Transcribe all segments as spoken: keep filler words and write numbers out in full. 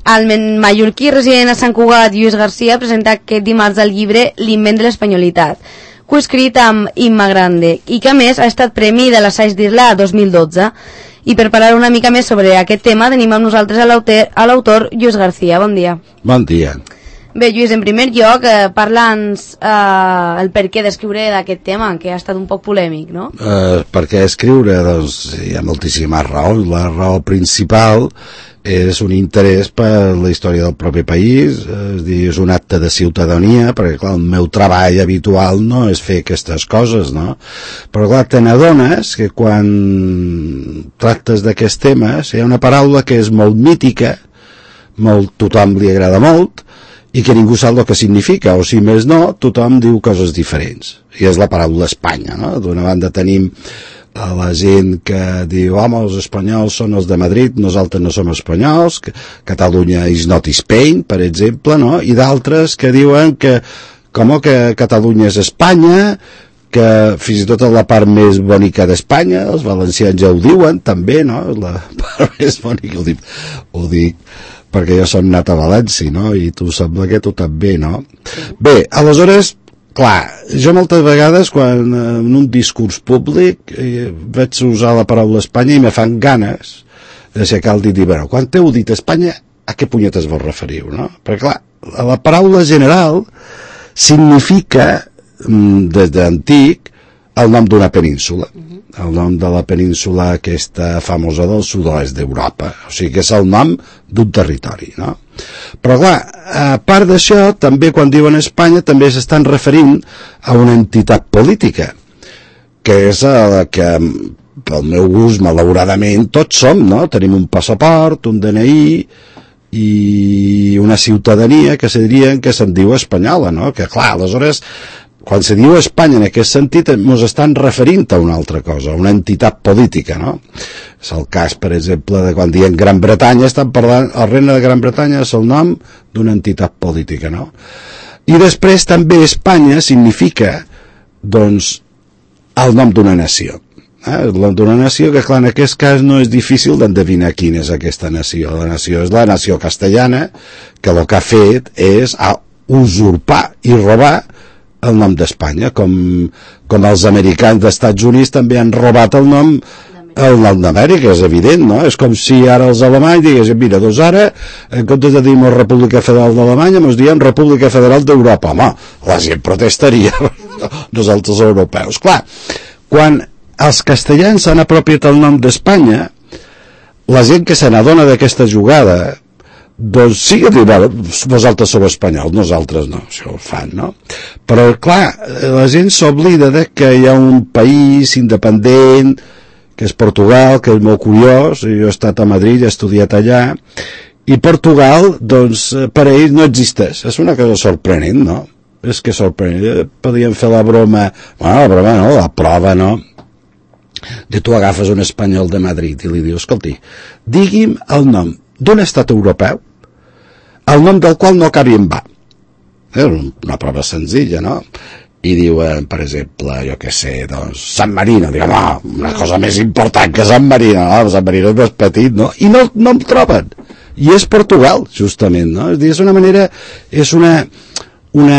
El mallorquí resident a Sant Cugat, Lluís Garcia, presenta aquest dimarts el llibre L'invent de l'espanyolitat, coescrit amb Imma Grande, i que a més ha estat premi de l'Assaig d'Irla dos mil dotze. I per parlar una mica més sobre aquest tema tenim amb nosaltres a l'autor Lluís Garcia. Bon dia. Bon dia. Bé, Lluís, en primer lloc, eh, parla'ns eh, el per què d'escriure d'aquest tema, que ha estat un poc polèmic, no? Eh, per què escriure? Doncs hi ha moltíssimes raons. La raó principal és un interès per la història del propi país, és dir, és un acte de ciutadania, perquè clar, el meu treball habitual no és fer aquestes coses, no? Però clar, te n'adones que quan tractes d'aquests temes hi ha una paraula que és molt mítica, molt, tothom li agrada molt, i que ningú sap el que significa, o si més no, tothom diu coses diferents, i és la paraula Espanya, no? D'una banda tenim a la gent que diu, home, els espanyols són els de Madrid, nosaltres no som espanyols, que Catalunya is not Spain, per exemple, no? I d'altres que diuen que, com que Catalunya és Espanya, que fins i tot la part més bonica d'Espanya, els valencians ja ho diuen, també, no? La part més bonica, ho dic, ho dic perquè jo som nat a València, no? I tu sembla que tu també, no? Sí. Bé, aleshores, clar, jo moltes vegades quan en un discurs públic eh, vaig usar la paraula Espanya i me fan ganes d'aixecar el dit i dir, bueno, quan t'heu dit Espanya, a què punyetes vos referiu, no? Perquè clar, la paraula general significa, des d'antic, el nom d'una península. El nom de la península aquesta famosa del sud-oest d'Europa, o sigui que és el nom d'un territori, no? Però clar, a part d'això, també quan diuen Espanya també s'estan referint a una entitat política, que és la que, pel meu gust, malauradament, tots som, no? Tenim un passaport, un D N I i una ciutadania que se dirien que se'n diu espanyola, no? Que clar, aleshores, quan se diu Espanya en aquest sentit ens estan referint a una altra cosa, una entitat política, no? És el cas, per exemple, de quan diem Gran Bretanya, estan parlant, el regne de Gran Bretanya és el nom d'una entitat política, no? I després també Espanya significa, doncs, el nom d'una nació. Eh? El nom d'una nació que, clar, en aquest cas no és difícil d'endevinar quina és aquesta nació. La nació és la nació castellana, que el que ha fet és usurpar i robar el nom d'Espanya, com, com els americans d'Estats Units també han robat el nom el nom d'Amèrica, és evident, no? És com si ara els alemanys diguessin, mira, doncs ara, en comptes de dir-nos República Federal d'Alemanya, ens diem República Federal d'Europa. Home, la gent protestaria, nosaltres europeus. Clar, quan els castellans s'han apropiat el nom d'Espanya, la gent que se n'adona d'aquesta jugada, doncs sí que diuen, vosaltres sou espanyols, nosaltres no, això ho fan, no? Però, clar, la gent s'oblida de que hi ha un país independent, que és Portugal, que és molt curiós, jo he estat a Madrid, he estudiat allà, i Portugal, doncs, per a ells no existeix. És una cosa sorprenent, no? És que sorprenent. Podíem fer la broma, bueno, la broma no, la prova, no? De tu agafes un espanyol de Madrid i li dius, escolti, digui'm el nom d'un estat europeu el nom del qual no cabi en va. És una prova senzilla, no? I diuen, per exemple, jo què sé, doncs, San Marino, diguem, no, una cosa més important que San Marino, no? San Marino és més petit, no? I no, no el troben. I és Portugal, justament, no? És dir, és una manera, és una, una,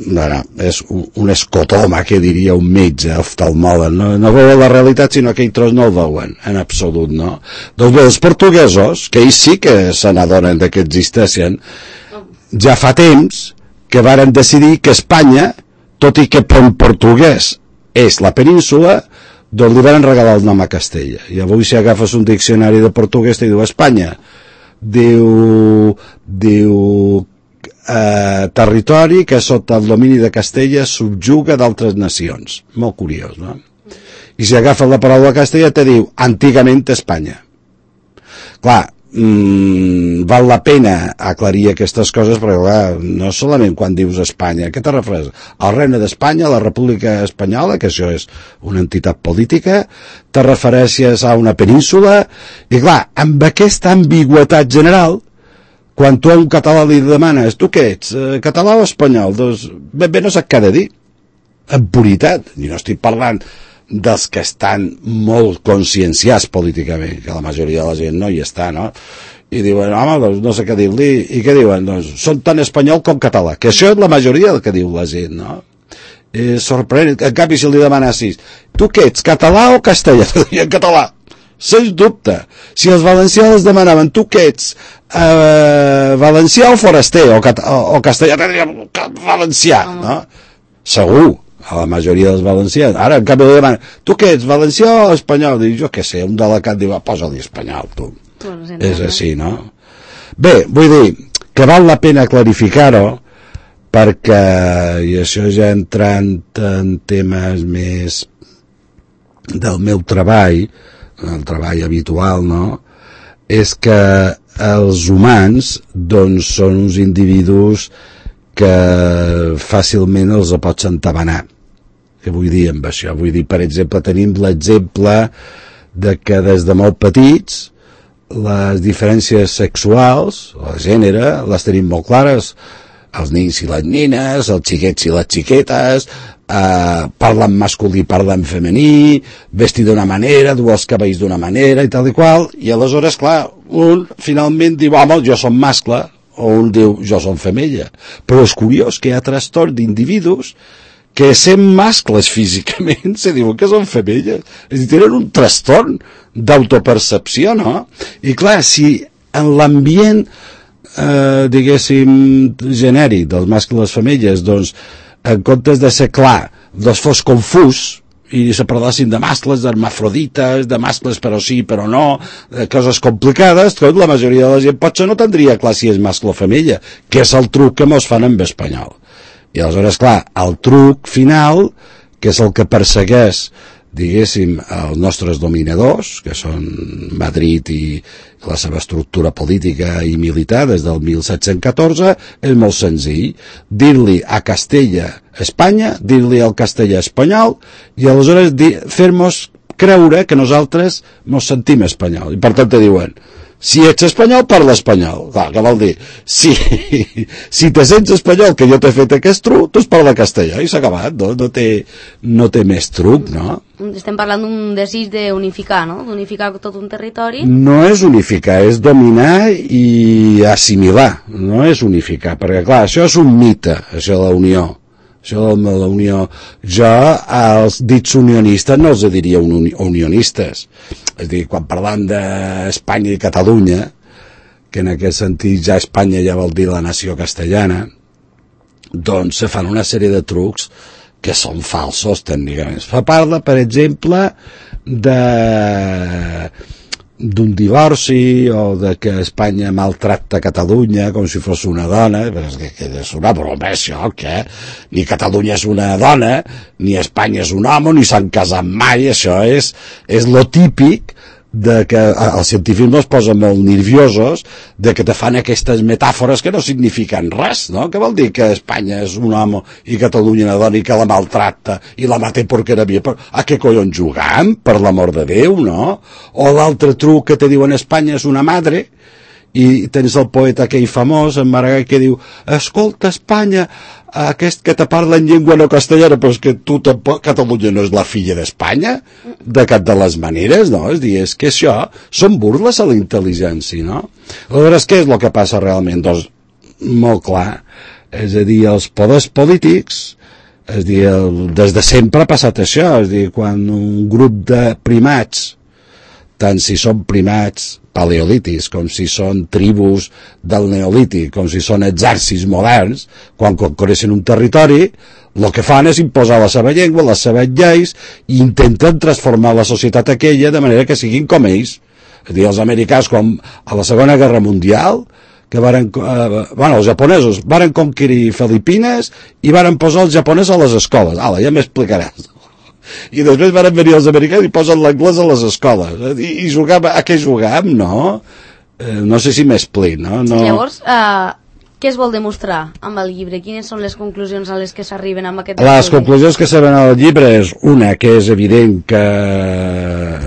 bueno, és un, un escotoma, que diria un metge, oftalmòleg, no? No veuen la realitat, sinó que ells no el veuen, en absolut, no? Doncs bé, els portuguesos, que ells sí que se n'adonen de que existeixen, ja fa temps que varen decidir que Espanya, tot i que en portuguès és la península, doncs li van regalar el nom a Castella. I avui si agafes un diccionari de portuguès te diu Espanya, diu, diu eh, territori que sota el domini de Castella subjuga d'altres nacions. Molt curiós, no? I si agafes la paraula Castella te diu antigament Espanya. Clar, Mm, val la pena aclarir aquestes coses perquè clar, no solament quan dius Espanya, què te refereix? Al regne d'Espanya, la República Espanyola, que això és una entitat política, te refereixes a una península, i clar, amb aquesta ambigüetat general, quan tu a un català li demanes, tu què ets, català o espanyol? Doncs ben bé no sap què ha de dir, en puritat, i no estic parlant dels que estan molt conscienciats políticament, que la majoria de la gent no hi està, no? i diuen, home, doncs no sé què dir-li, i què diuen? Doncs són tan espanyol com català, que això és la majoria del que diu la gent, no? És sorprenent, en canvi si li demanessis, tu què ets, català o castellà? I en català, sens dubte. Si els valencians els demanaven, tu què ets, eh, valencià o foraster, o, o, o castellà, valencià, no? Segur, a la majoria dels valencians. Ara, en canvi, li demanen, tu què ets, valencià o espanyol? Dic, jo què sé, un delegat diu, posa-li espanyol, tu. Bueno, és així, no? Bé, vull dir que val la pena clarificar-ho, perquè, i això ja entrant en temes més del meu treball, el treball habitual, no?, és que els humans, doncs, són uns individus que fàcilment els pots entabanar. Què vull dir amb això? Vull dir, per exemple, tenim l'exemple de que des de molt petits les diferències sexuals, el gènere, les tenim molt clares, els nins i les nines, els xiquets i les xiquetes, eh, parlen masculí, parlen femení, vestir d'una manera, dur els cabells d'una manera i tal i qual, i aleshores, clar, un finalment diu, home, jo som mascle, o un diu, jo som femella. Però és curiós que hi ha trastorn d'individus que sent mascles físicament se diuen que són femelles. És a dir, tenen un trastorn d'autopercepció, no? I clar, si en l'ambient eh, diguéssim genèric dels mascles i femelles, doncs en comptes de ser clar, doncs fos confús i se parlassin de mascles, d'hermafrodites, de mascles però sí, però no, de coses complicades, tot la majoria de la gent potser no tindria clar si és mascle o femella, que és el truc que mos fan amb espanyol. I aleshores, clar, el truc final, que és el que persegueix, diguéssim, els nostres dominadors, que són Madrid i la seva estructura política i militar des del mil set-cents catorze, és molt senzill. Dir-li a Castella Espanya, dir-li al castellà espanyol, i aleshores fer-nos creure que nosaltres ens sentim espanyol. I per tant te diuen, si ets espanyol, parla espanyol. Clar, què vol dir? Si, si te sents espanyol, que jo t'he fet aquest truc, tu es parla castellà i s'ha acabat, no? No té, no té més truc, no? Estem parlant d'un desig d'unificar, no? D'unificar tot un territori. No és unificar, és dominar i assimilar, no és unificar, perquè clar, això és un mite, això de la unió. Això de la unió, jo als dits unionistes no els diria uni unionistes. És a dir, quan parlam d'Espanya i Catalunya, que en aquest sentit ja Espanya ja vol dir la nació castellana, doncs se fan una sèrie de trucs que són falsos tècnicament. Fa parla, per exemple, de d'un divorci o de que Espanya maltracta Catalunya com si fos una dona, però és que, que és una broma això, que ni Catalunya és una dona, ni Espanya és un home, ni s'han casat mai, això és, és lo típic de que els científics es posen molt nerviosos de que te fan aquestes metàfores que no signifiquen res, no? Què vol dir que Espanya és un home i Catalunya una dona i que la maltracta i la mata perquè era via? A què collons jugam, per l'amor de Déu, no? O l'altre truc que te diuen Espanya és una madre i tens el poeta aquell famós, en Maragall, que diu, escolta Espanya, aquest que te parla en llengua no castellana, però és que tu tampoc, Catalunya no és la filla d'Espanya, de cap de les maneres, no? És dir, és que això són burles a la intel·ligència, no? Aleshores, què és el que passa realment? Doncs, molt clar, és a dir, els poders polítics, és a dir, el, des de sempre ha passat això, és a dir, quan un grup de primats, tant si són primats paleolítics, com si són tribus del neolític, com si són exèrcits moderns, quan conquereixen un territori, el que fan és imposar la seva llengua, les seves lleis, i intenten transformar la societat aquella de manera que siguin com ells. És a dir, els americans, com a la Segona Guerra Mundial, que varen, eh, bueno, els japonesos varen conquerir Filipines i varen posar els japonesos a les escoles. Ala, ja m'explicaràs. I després van venir els americans i posen l'anglès a les escoles i, i jugam, a què jugam, no? Eh, no sé si m'explic, no? no... Llavors, eh, què es vol demostrar amb el llibre? Quines són les conclusions a les que s'arriben amb aquest Les estudi? conclusions que s'arriben al llibre és una, que és evident que eh,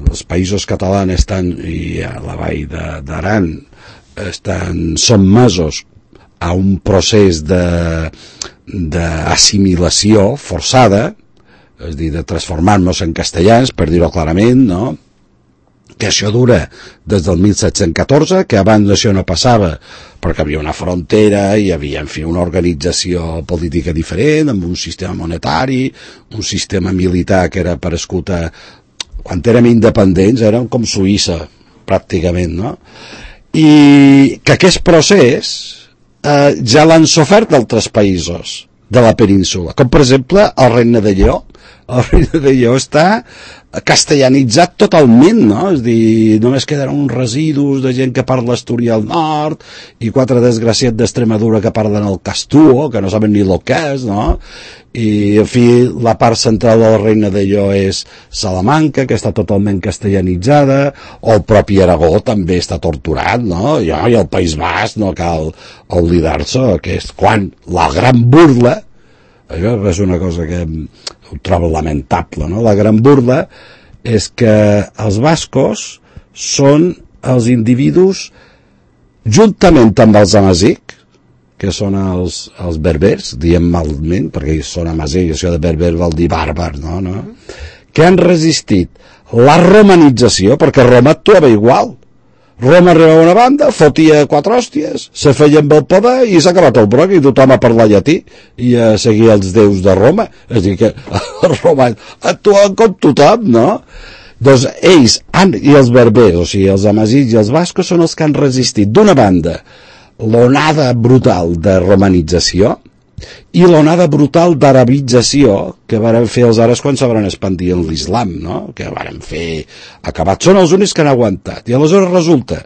els països catalans estan, i a la vall d'Aran estan sotmesos a un procés de d'assimilació forçada, és a dir, de transformar-nos en castellans, per dir-ho clarament, no? que això dura des del mil set-cents catorze, que abans d'això no passava, perquè hi havia una frontera, hi havia, en fi, una organització política diferent, amb un sistema monetari, un sistema militar que era per escoltar... Quan érem independents érem com Suïssa, pràcticament, no? I que aquest procés eh, ja l'han sofert d'altres països de la península, com per exemple el Regne de Lleó. El Regne de Lleó està castellanitzat totalment, no? És dir, només quedaran uns residus de gent que parla asturià al nord i quatre desgraciats d'Extremadura que parlen el castuo, que no saben ni el que és, no? I, en fi, la part central del Regne de Lleó és Salamanca, que està totalment castellanitzada, o el propi Aragó també està torturat, no? I, i el País Basc, no cal oblidar-se, que és quan la gran burla, això és una cosa que ho trobo lamentable, no? La gran burla és que els bascos són els individus, juntament amb els amazic, que són els, els berbers, diem malament, perquè són amazic, això de berber vol dir bàrbar, no? no? Que han resistit la romanització, perquè Roma actuava igual. Roma arribava a una banda, fotia quatre hòsties, se feia amb el poder i s'ha acabat el broc i tothom a parlar llatí i a seguir els déus de Roma. És a dir, que els romans actuen com tothom, no? Doncs ells, han, i els berbers, o sigui, els amazics i els bascos són els que han resistit, d'una banda, l'onada brutal de romanització i l'onada brutal d'arabització que varen fer els àrabs quan se van expandir en l'islam, no? Que varen fer acabat. Són els únics que han aguantat. I aleshores resulta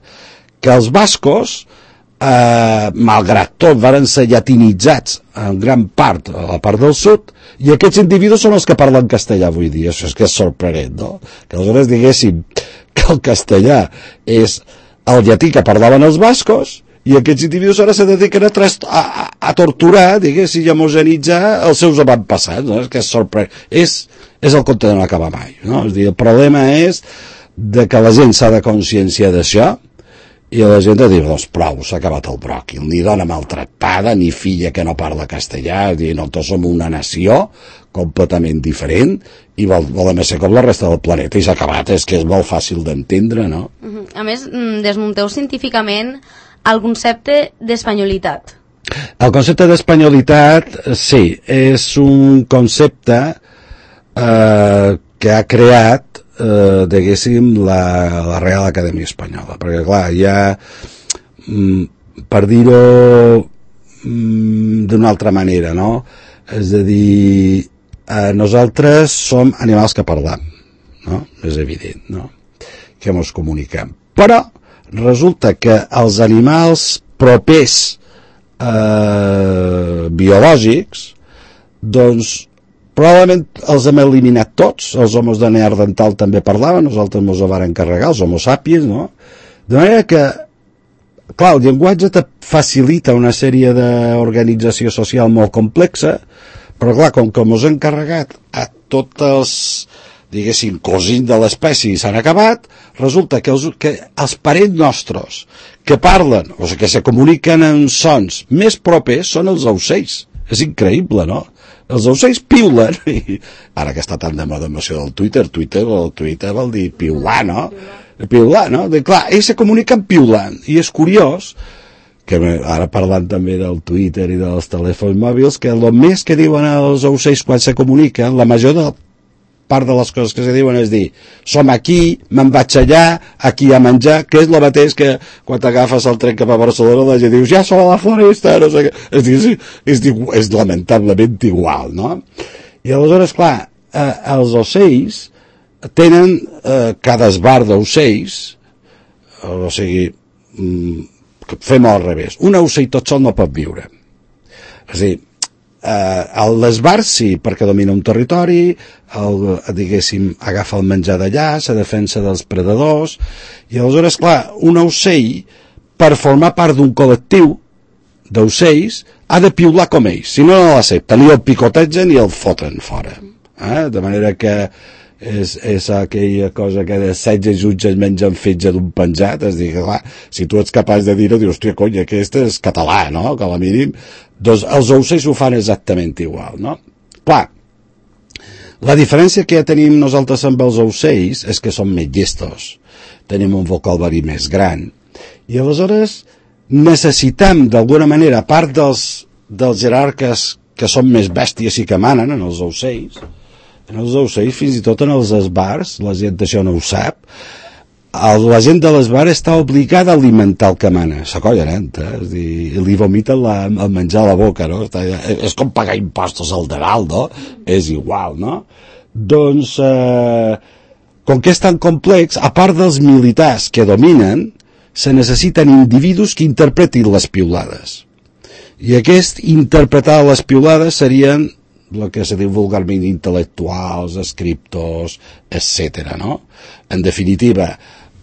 que els bascos, eh, malgrat tot, varen ser llatinitzats en gran part a la part del sud, i aquests individus són els que parlen castellà avui dia. Això és que és sorprenent, no? Que aleshores diguéssim que el castellà és el llatí que parlaven els bascos, i aquests individus ara se dediquen a, a, a, a torturar, diguéssim, i a homogenitzar els seus avantpassats, no? És que és sorprenent. És, és el conte de no acabar mai, no? És dir, el problema és de que la gent s'ha de conscienciar d'això i la gent ha de dir, doncs prou, s'ha acabat el bròquil, ni dona maltractada, ni filla que no parla castellà, és dir, nosaltres som una nació completament diferent i vol, volem ser com la resta del planeta i s'ha acabat, és que és molt fàcil d'entendre, no? A més, desmunteu científicament el concepte d'espanyolitat. El concepte d'espanyolitat, sí, és un concepte eh, que ha creat, eh, diguéssim, la, la Real Acadèmia Espanyola, perquè clar, hi ha, mm, per dir-ho mm, d'una altra manera, no? És a dir, eh, nosaltres som animals que parlam, no? És evident, no? Que ens comuniquem. Però resulta que els animals propers eh, biològics, doncs probablement els hem eliminat tots. Els homos de Neandertal també parlaven, nosaltres ens ho vam encarregar, els homo sapiens, no? De manera que, clar, el llenguatge te facilita una sèrie d'organització social molt complexa, però clar, com que ens hem encarregat a tots els, diguéssim, cosins de l'espècie s'han acabat, resulta que els, que els parents nostres que parlen, o sigui, que se comuniquen en sons més propers són els ocells. És increïble, no? Els ocells piulen, i ara que està tan de moda amb això del Twitter, Twitter, el Twitter vol dir piular, no? Piular, no? De, clar, ells se comuniquen piulant, i és curiós que ara parlant també del Twitter i dels telèfons mòbils, que el més que diuen els ocells quan se comuniquen, la major de part de les coses que se diuen és dir, som aquí, me'n vaig allà, aquí a menjar, que és el mateix que quan t'agafes el tren cap a Barcelona la gent dius, ja som a la floresta, no sé què. És, dir, és, és lamentablement igual, no? I aleshores, clar, eh, els ocells tenen eh, cada esbar d'ocells, o sigui, mm, fem-ho al revés, un ocell tot sol no pot viure. És a dir, Uh, l'esbar sí, perquè domina un territori, el, diguéssim, agafa el menjar d'allà, se defensa dels predadors, i aleshores, clar, un ocell, per formar part d'un col·lectiu d'ocells, ha de piular com ells, si no, no l'accepta, ni el picotegen ni el foten fora. Eh? De manera que és, és aquella cosa que de setze jutges mengen fetge d'un penjat, és dir, clar, si tu ets capaç de dir-ho, dius, hòstia, cony, aquest és català, no?, que a la mínim, doncs els ocells ho fan exactament igual, no? Clar, la diferència que ja tenim nosaltres amb els ocells és que som més llestos. tenim un vocabulari més gran. I aleshores necessitem, d'alguna manera, a part dels, dels jerarques que són més bèsties i que manen, en els ocells, en els ocells, fins i tot en els esbars, la gent d'això no ho sap, el, la gent de l'esbar està obligada a alimentar el que mana, sa colla neta, eh? És dir, li vomiten la, el menjar a la boca, no? Està, és com pagar impostos al Deral, no? És igual, no? Doncs, eh, com que és tan complex, a part dels militars que dominen, se necessiten individus que interpretin les piulades. I aquest interpretar les piulades serien el que se diu vulgarment intel·lectuals, escriptors, etcètera, no? En definitiva,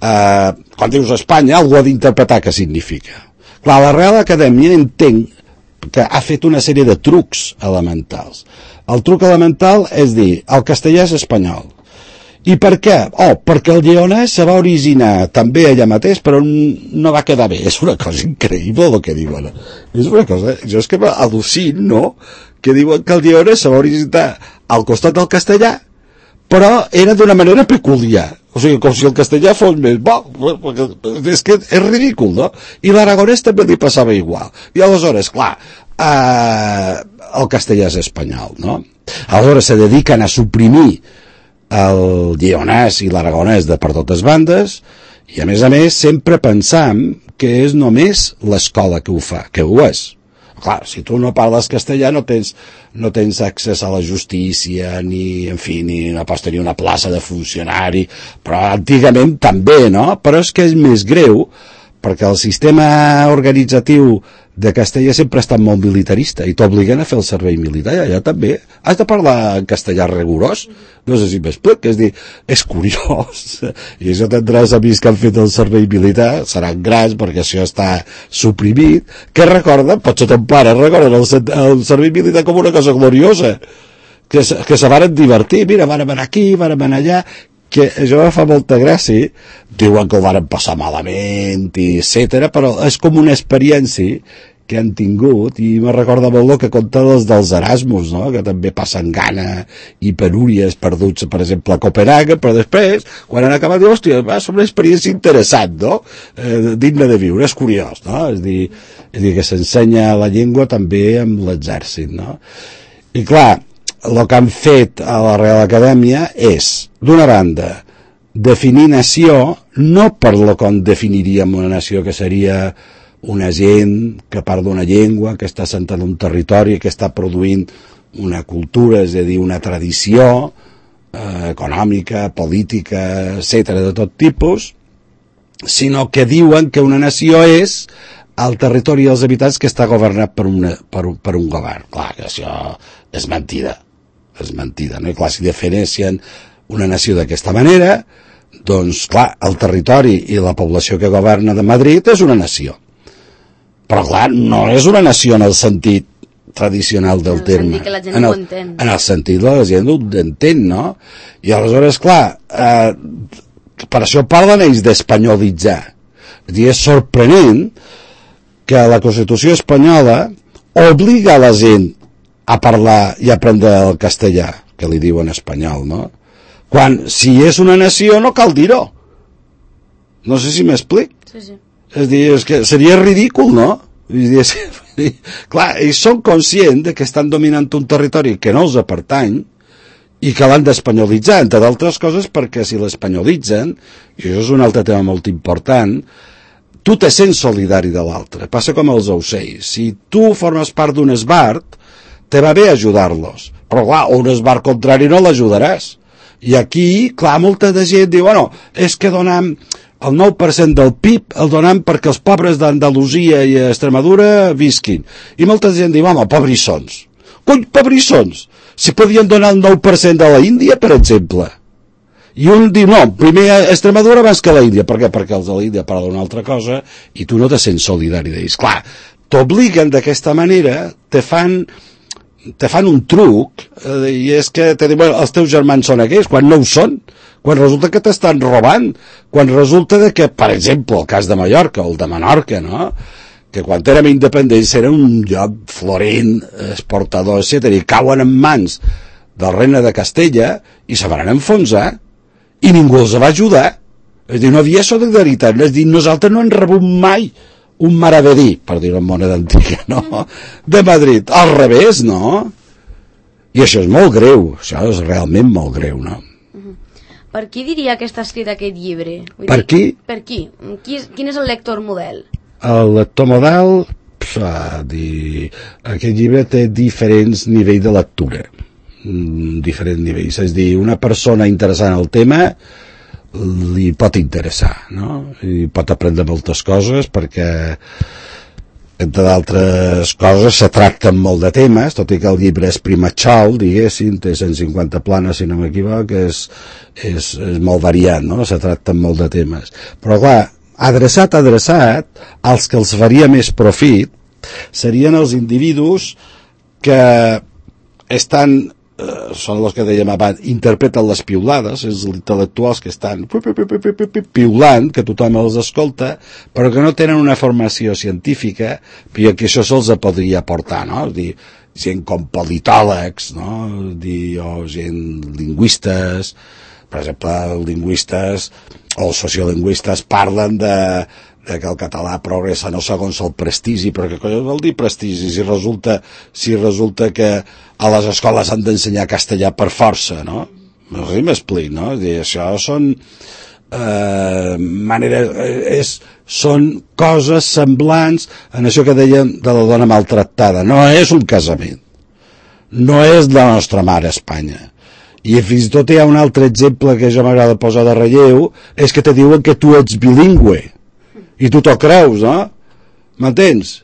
eh, quan dius Espanya, algú ha d'interpretar què significa. Clar, la Real Acadèmia entenc que ha fet una sèrie de trucs elementals. El truc elemental és dir, el castellà és espanyol. I per què? Oh, perquè el lleonès se va originar també allà mateix, però no va quedar bé. És una cosa increïble el que diuen. És una cosa... Jo és que m'al·lucino, no?, que diuen que el lleonès se va originar al costat del castellà, però era d'una manera peculiar. O sigui, com si el castellà fos més bo. És que és ridícul, no? I l'aragonès també li passava igual. I aleshores, clar, eh, el castellà és espanyol, no? Aleshores se dediquen a suprimir el lleonès i l'aragonès de per totes bandes, i a més a més sempre pensam que és només l'escola que ho fa, que ho és. Clar, si tu no parles castellà no tens, no tens accés a la justícia, ni, en fi, ni no pots tenir una plaça de funcionari, però antigament també, no? Però és que és més greu, perquè el sistema organitzatiu de Castella sempre ha estat molt militarista i t'obliguen a fer el servei militar, i allà també has de parlar en castellà rigorós, no sé si m'explic, és dir, és curiós, i això tindràs amics que han fet el servei militar, seran grans perquè això està suprimit, que recorden, potser ton pare recorden el, el servei militar com una cosa gloriosa, que, que se van divertir, mira, van anar aquí, van anar allà, que això fa molta gràcia, diuen que ho van passar malament, i etcètera, però és com una experiència que han tingut, i me recorda molt el que conta dels, dels Erasmus, no?, que també passen gana i penúries perduts, per exemple, a Copenhague, però després, quan han acabat, diu, hòstia, va ser una experiència interessant, no?, eh, digne de viure, és curiós, no?, és dir, és dir que s'ensenya la llengua també amb l'exèrcit, no?, i clar, el que han fet a la Real Acadèmia és, d'una banda, definir nació, no per lo que definiríem una nació, que seria una gent que parla una llengua, que està assentant un territori, que està produint una cultura, és a dir, una tradició eh, econòmica, política, etcètera, de tot tipus, sinó que diuen que una nació és el territori dels habitants que està governat per, una, per, un, per un govern. Clar, que això és mentida. És mentida, no? I clar, si defineixen una nació d'aquesta manera, doncs, clar, el territori i la població que governa de Madrid és una nació. Però, clar, no és una nació en el sentit tradicional del terme. En el sentit que la gent en el, ho entén. En el sentit que la gent ho entén, no? I aleshores, clar, eh, per això parlen ells d'espanyolitzar. És dir, és sorprenent que la Constitució espanyola obliga a la gent a parlar i aprendre el castellà, que li diuen espanyol, no? Quan, si és una nació, no cal dir-ho. No sé si m'explic. Sí, sí. És dir, és que seria ridícul, no? És dir, clar, ells són conscients de que estan dominant un territori que no els pertany i que l'han d'espanyolitzar, entre d'altres coses perquè si l'espanyolitzen, i això és un altre tema molt important, tu te sents solidari de l'altre. Passa com els ocells. Si tu formes part d'un esbart, te va bé ajudar-los, però clar, un esbart contrari no l'ajudaràs. I aquí, clar, molta de gent diu, bueno, és que donem el nou per cent del P I B, el donem perquè els pobres d'Andalusia i Extremadura visquin. I molta gent diu, home, pobrissons. Cony, pobrissons! Si podien donar el nou per cent de la Índia, per exemple. I un diu, no, primer a Extremadura abans que a la Índia. Per què? Perquè els de la Índia parlen una altra cosa i tu no te sents solidari d'ells. Clar, t'obliguen d'aquesta manera, te fan... te fan un truc, eh, i és que te diuen, els teus germans són aquells, quan no ho són, quan resulta que t'estan robant, quan resulta de que, per exemple, el cas de Mallorca o el de Menorca, no?, que quan érem independents era un lloc florent, exportador, etcètera, i cauen en mans del regne de Castella i se van enfonsar, i ningú els va ajudar. És a dir, no havia solidaritat, és a dir, nosaltres no hem rebut mai un maravedí, per dir-ho en moneda antiga, no? De Madrid, al revés, no? I això és molt greu, això és realment molt greu, no? Per qui diria que està escrit aquest llibre? Vull per dir, qui? Per qui? qui és, quin és el lector model? El lector model, pf, dir, aquest llibre té diferents nivells de lectura, diferents nivells, és a dir, una persona interessant al tema li pot interessar, no? I pot aprendre moltes coses perquè entre d'altres coses se tracten molt de temes, tot i que el llibre és primatxal, diguéssim, té cent cinquanta planes si no m'equivoc, és, és, és molt variat, no? Se tracten molt de temes, però clar, adreçat, adreçat, els que els faria més profit serien els individus que estan, eh, són els que dèiem abans, interpreten les piulades, els intel·lectuals que estan piulant, que tothom els escolta, però que no tenen una formació científica, i que això se'ls podria aportar, no? És dir, gent com politòlegs, no? Dir, o gent lingüistes, per exemple, els lingüistes o els sociolingüistes parlen de, de que el català progressa no segons el prestigi, però què collons vol dir prestigi si resulta, si resulta que a les escoles han d'ensenyar castellà per força, no? No sé si m'explic, no? És dir, això són eh, maneres, és, són coses semblants en això que dèiem de la dona maltractada. No és un casament, no és la nostra mare Espanya. I fins i tot hi ha un altre exemple que jo m'agrada posar de relleu, és que te diuen que tu ets bilingüe i tu t'ho creus, no? M'entens?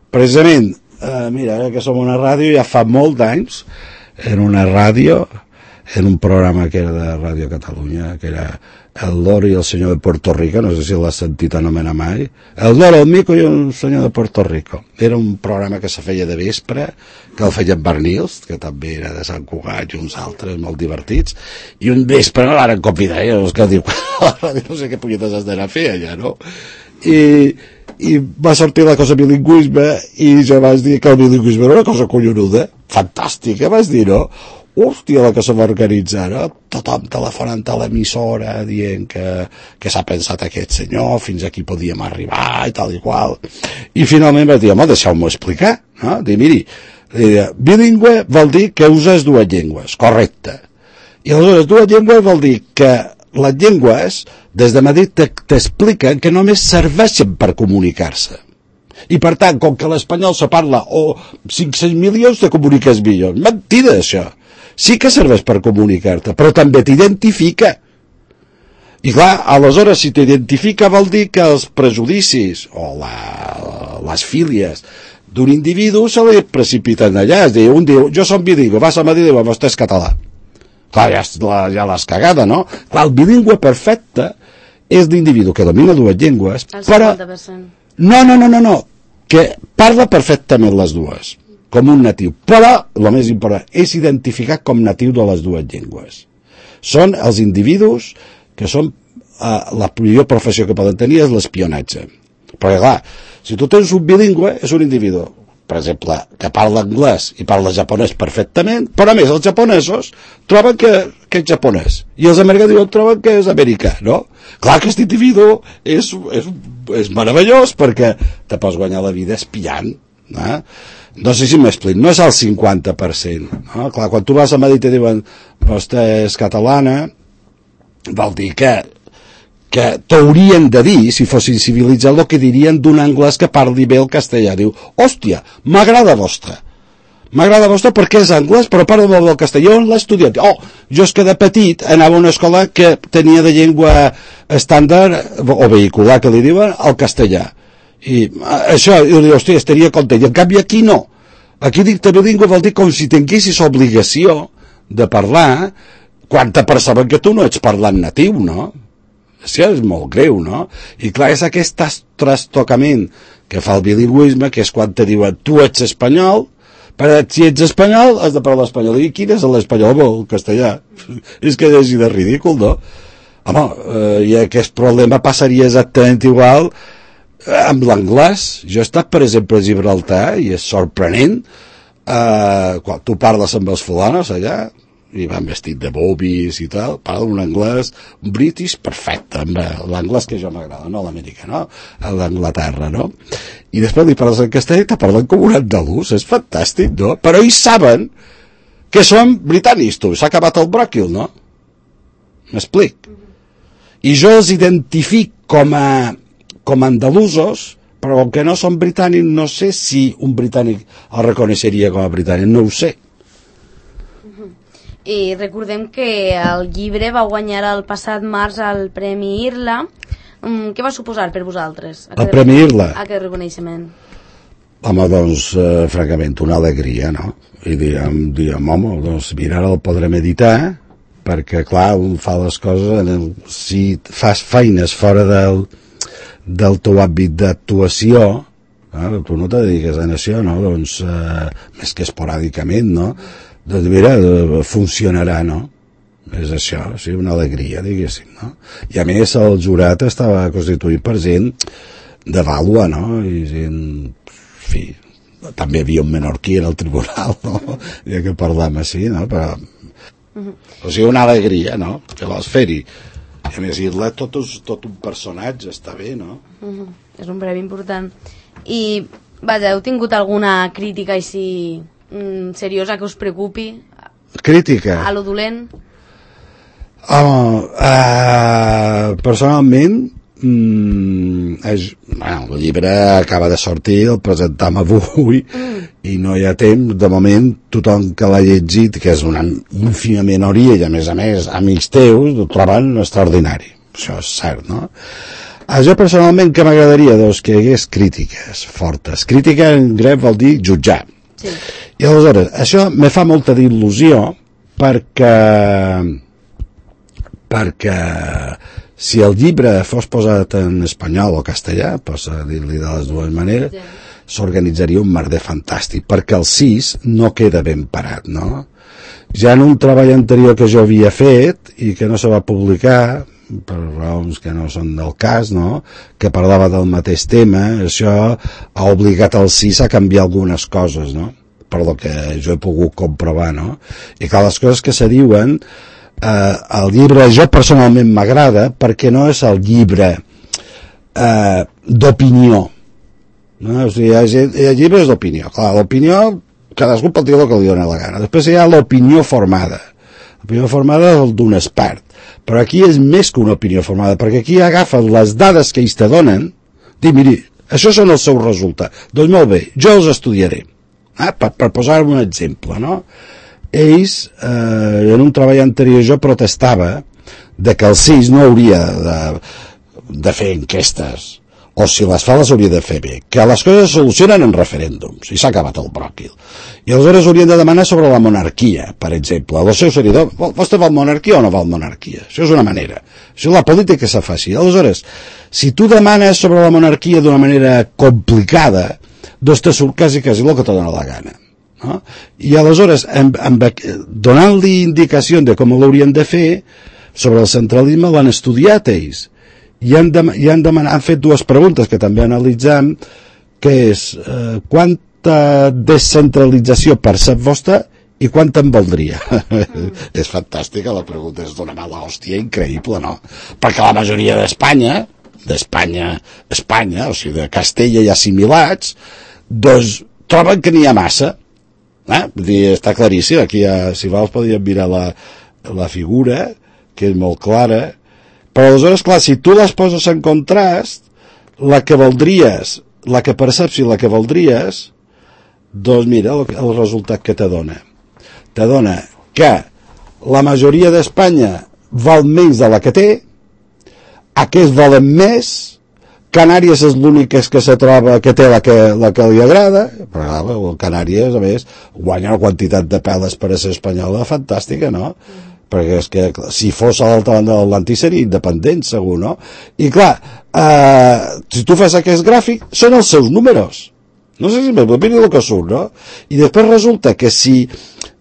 Precisament, eh, mira, ara que som una ràdio, ja fa molt d'anys, en una ràdio, en un programa que era de Ràdio Catalunya, que era El Loro i el senyor de Puerto Rico, no sé si l'has sentit anomenar mai, El Loro, el Mico i el senyor de Puerto Rico. Era un programa que se feia de vespre, que el feien Bernils, que també era de Sant Cugat i uns altres molt divertits, i un vespre no l'han convidat, eh? Els que diu, no sé què punyetes has d'anar a fer allà, no? I, i va sortir la cosa bilingüisme i jo vaig dir que el bilingüisme era una cosa collonuda, fantàstica, vaig dir, no? Hòstia, la que se va organitzar, no? Tothom telefonant a l'emissora dient que, que s'ha pensat aquest senyor, fins aquí podíem arribar i tal i qual. I finalment vaig dir, home, deixeu-m'ho explicar, no? Dir, miri, bilingüe vol dir que uses dues llengües, correcte. I aleshores dues llengües vol dir que les llengües, des de Madrid, t'expliquen que només serveixen per comunicar-se. I per tant, com que l'espanyol se parla o cinc-cents milions, te comuniques millor. Mentida, això. Sí que serveix per comunicar-te, però també t'identifica. I clar, aleshores, si t'identifica vol dir que els prejudicis o la, les fílies d'un individu se li precipiten allà. És a dir, un diu, jo som bilingüe, vas a Madrid i diu, vostè és català. Clar, ja, ja l'has cagada, no? Clar, el bilingüe perfecte és l'individu que domina dues llengües, però... No, no, no, no, no, que parla perfectament les dues, com un natiu, però, el més important, és identificat com natiu de les dues llengües. Són els individus que són, eh, la millor professió que poden tenir és l'espionatge. Perquè, clar, si tu tens un bilingüe, és un individu, per exemple, que parla anglès i parla japonès perfectament, però a més els japonesos troben que, que és japonès, i els americans troben que és americà, no? Clar que aquest individu és, és, és meravellós perquè te pots guanyar la vida espiant, no? No sé si m'explico, no és el cinquanta per cent, no? Clar, quan tu vas a Madrid i diuen vostè és catalana, vol dir que que t'haurien de dir, si fossin civilitzats, el que dirien d'un anglès que parli bé el castellà. Diu, hòstia, m'agrada vostre. M'agrada vostre perquè és anglès, però parla molt del castellà. On l'ha estudiat? Oh, jo és que de petit anava a una escola que tenia de llengua estàndard, o vehicular, que li diuen, el castellà. I això, jo dic, hòstia, estaria content. I en canvi aquí no. Aquí dicta bilingüe vol dir com si tinguessis obligació de parlar quan te perceben que tu no ets parlant natiu, no? Això és molt greu, no? I clar, és aquest trastocament que fa el bilingüisme, que és quan te diuen tu ets espanyol, però si ets espanyol has de parlar espanyol. I quin és l'espanyol? El castellà. És que és de ridícul, no? Home, eh, i aquest problema passaria exactament igual amb l'anglès. Jo he estat, per exemple, a Gibraltar i és sorprenent, eh, quan tu parles amb els fulanos allà, i van vestit de bobis i tal, parlen un anglès, un british perfecte, l'anglès que jo m'agrada, no l'americà, no? L'Anglaterra, no? I després li parles en castellà i te parlen com un andalús, és fantàstic, no? Però ells saben que són britànics, tu, s'ha acabat el bròquil, no? M'explic? I jo els identific com a, com a andalusos, però com que no són britànics, no sé si un britànic el reconeixeria com a britànic, no ho sé. I recordem que el llibre va guanyar el passat març el Premi Irla. Um, què va suposar per vosaltres? El Premi Irla? Aquest reconeixement. Home, doncs, eh, francament, una alegria, no? I diem, diem home, doncs mira, ara el podrem editar, perquè, clar, un fa les coses, en el, si fas feines fora del, del teu àmbit d'actuació, eh, tu no te dediques a això, no? Doncs, eh, més que esporàdicament, no? Doncs mira, funcionarà, no? És això, sí, una alegria, diguéssim, no? I a més el jurat estava constituït per gent de vàlua, no? I gent, en fi, també hi havia un menorquí en el tribunal, no? Ja que parlem així, no? Però, uh-huh. O sigui, una alegria, no? Que vols fer-hi. I a més, dir-la tot, tot un personatge, està bé, no? Uh-huh. És un premi important. I, vaja, heu tingut alguna crítica així mm, seriosa que us preocupi? Crítica? A lo dolent? Oh, uh, personalment, mm, és, bueno, el llibre acaba de sortir, el presentam avui, mm. i no hi ha temps. De moment, tothom que l'ha llegit, que és una ínfima minoria, i a més a més, amics teus, ho troben extraordinari. Això és cert, no? A jo personalment que m'agradaria, doncs, que hi hagués crítiques fortes. Crítica en grec vol dir jutjar. Sí. I aleshores, això me fa molta il·lusió perquè perquè si el llibre fos posat en espanyol o castellà, posa dir-li de les dues maneres, s'organitzaria un merder fantàstic, perquè el sis no queda ben parat, no? Ja en un treball anterior que jo havia fet i que no se va publicar, per raons que no són del cas, no? Que parlava del mateix tema, això ha obligat el sis a canviar algunes coses, no? Per lo que jo he pogut comprovar, no? I que les coses que se diuen, eh, el llibre jo personalment m'agrada perquè no és el llibre eh, d'opinió, no? O sigui, el llibre és d'opinió, clar, l'opinió cadascú pot dir el que li dona la gana. Després hi ha l'opinió formada. L'opinió formada és el d'un expert, però aquí és més que una opinió formada, perquè aquí agafen les dades que ells te donen, dic, miri, això són els seus resultats, doncs molt bé, jo els estudiaré, eh? per, per posar un exemple, no? Ells, eh, en un treball anterior jo protestava de que el sis no hauria de, de fer enquestes, o si les fa les hauria de fer bé, que les coses es solucionen en referèndums, i s'ha acabat el bròquil. I aleshores haurien de demanar sobre la monarquia, per exemple. El seu seguidor, vostè vol monarquia o no vol monarquia? Això és una manera. Això és la política que se faci. Aleshores, si tu demanes sobre la monarquia d'una manera complicada, doncs te surt quasi quasi el que te dona la gana. No? I aleshores, amb, amb, donant-li indicacions de com l'haurien de fer, sobre el centralisme l'han estudiat ells. I han, de, i han, demanat, han fet dues preguntes que també analitzem, que és eh, quanta descentralització percep vostè i quanta en voldria. Mm. És fantàstica la pregunta, és d'una mala hòstia increïble, no? Perquè la majoria d'Espanya, d'Espanya, Espanya, o sigui, de Castella i assimilats, doncs troben que n'hi ha massa. Eh? Vull dir, està claríssim, aquí ha, si vols podríem mirar la, la figura, que és molt clara. Però aleshores, clar, si tu les poses en contrast, la que voldries, la que perceps i la que voldries, doncs mira el, el resultat que te dona. Te dona que la majoria d'Espanya val menys de la que té, aquests volen més, Canàries és l'únic que se troba que té la que, la que li agrada, però clar, Canàries, a més, guanya una quantitat de peles per a ser espanyola fantàstica, no? Perquè és que si fos a l'altra banda de l'Atlàntic seria independent, segur, no? I clar, eh, si tu fas aquest gràfic, són els seus números. No sé si m'opini el que surt, no? I després resulta que si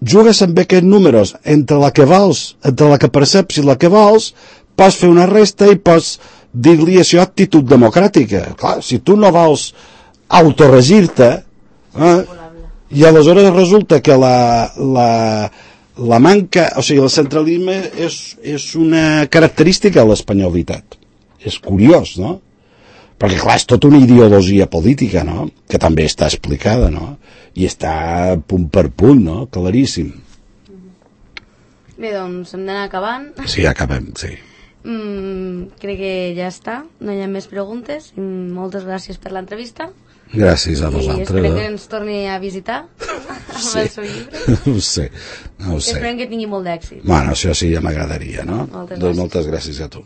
jugues amb aquests números entre la que vols, entre la que perceps i la que vols, pots fer una resta i pots dir-li això actitud democràtica. Clar, si tu no vols autoregir-te, eh, i aleshores resulta que la... la la manca, o sigui, el centralisme és, és una característica de l'espanyolitat. És curiós, no? Perquè, clar, és tota una ideologia política, no?, que també està explicada, no?, i està punt per punt, no?, claríssim. Bé, doncs hem d'anar acabant. Sí, acabem, sí. Mm, crec que ja està, no hi ha més preguntes. Moltes gràcies per l'entrevista. Gràcies a vosaltres. I esperem que ens torni a visitar amb sí. el seu llibre. No ho sé, no ho sé. Esperem que tingui molt d'èxit. Bueno, això sí, ja m'agradaria, no? Moltes doncs gràcies. moltes gràcies a tu.